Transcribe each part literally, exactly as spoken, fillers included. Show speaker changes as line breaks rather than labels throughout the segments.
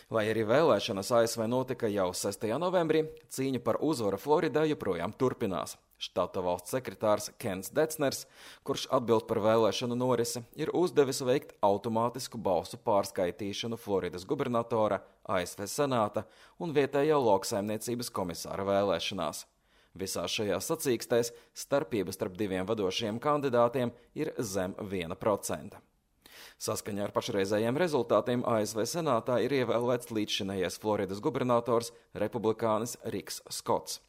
Lai arī vēlēšanas A S V notika jau sestajā novembrī, cīņa par uzvaru Floridā joprojām turpinās. Štata valsts sekretārs Kens Decners, kurš atbild par vēlēšanu norisi, ir uzdevis veikt automātisku balsu pārskaitīšanu Floridas gubernatora, A S V senāta un vietējā lauksaimniecības komisāra vēlēšanās. Visās šajās sacīkstēs starpība starp diviem vadošajiem kandidātiem ir zem viena procenta. Saskaņā ar pašreizējiem rezultātiem A S V senātā ir ievēlēts līdzšinējais Floridas gubernators republikānis Riks Skots.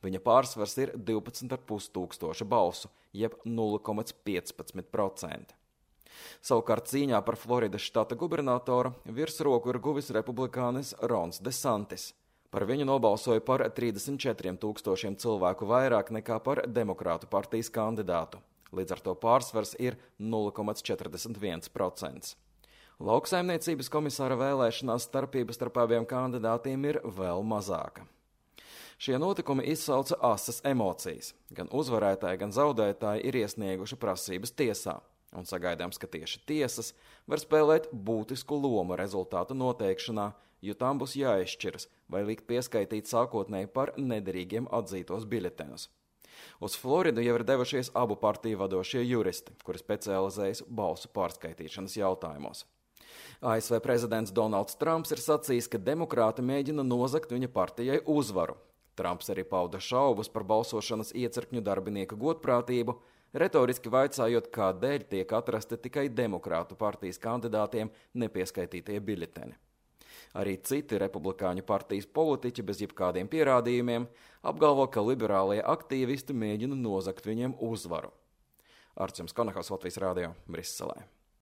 Viņa pārsvars ir divpadsmit ar pus tūkstoša balsu, jeb nulle komats piecpadsmit procenti. Savukārt cīņā par Floridas štata gubernatoru virsroku ir guvis republikānis Rons DeSantis. Par viņu nobalsoja par trīsdesmit četriem tūkstošiem cilvēku vairāk nekā par Demokrātu partijas kandidātu. Līdz ar to pārsvars ir nulle komats četrdesmit viens procents. Lauksaimniecības komisāra vēlēšanās starpība starp abiem kandidātiem ir vēl mazāka. Šie notikumi izsauca asas emocijas. Gan uzvarētāji, gan zaudētāji ir iesnieguši prasības tiesā, un sagaidāms, ka tieši tiesas var spēlēt būtisku lomu rezultātu noteikšanā, jo tām būs jāizšķiras, vai likt pieskaitīt sākotnēji par nederīgiem atzītos biļetenus. Uz Floridu jau ir devušies abu partiju vadošie juristi, kuri specializējas balsu pārskaitīšanas jautājumos. A S V prezidents Donalds Trumps ir sacījis, ka demokrāti mēģina nozagt viņa partijai uzvaru. Trumps arī pauda šaubas par balsošanas iecirkņu darbinieku godprātību, retoriski vaicājot, kādēļ tiek atrasti tikai demokrātu partijas kandidātiem nepieskaitītie biļeteni. Arī citi republikāņu partijas politiķi bez jebkādiem pierādījumiem apgalvo, ka liberālie aktīvisti mēģina nozagt viņiem uzvaru. Arts Konahals, Latvijas Rādio, Briselē.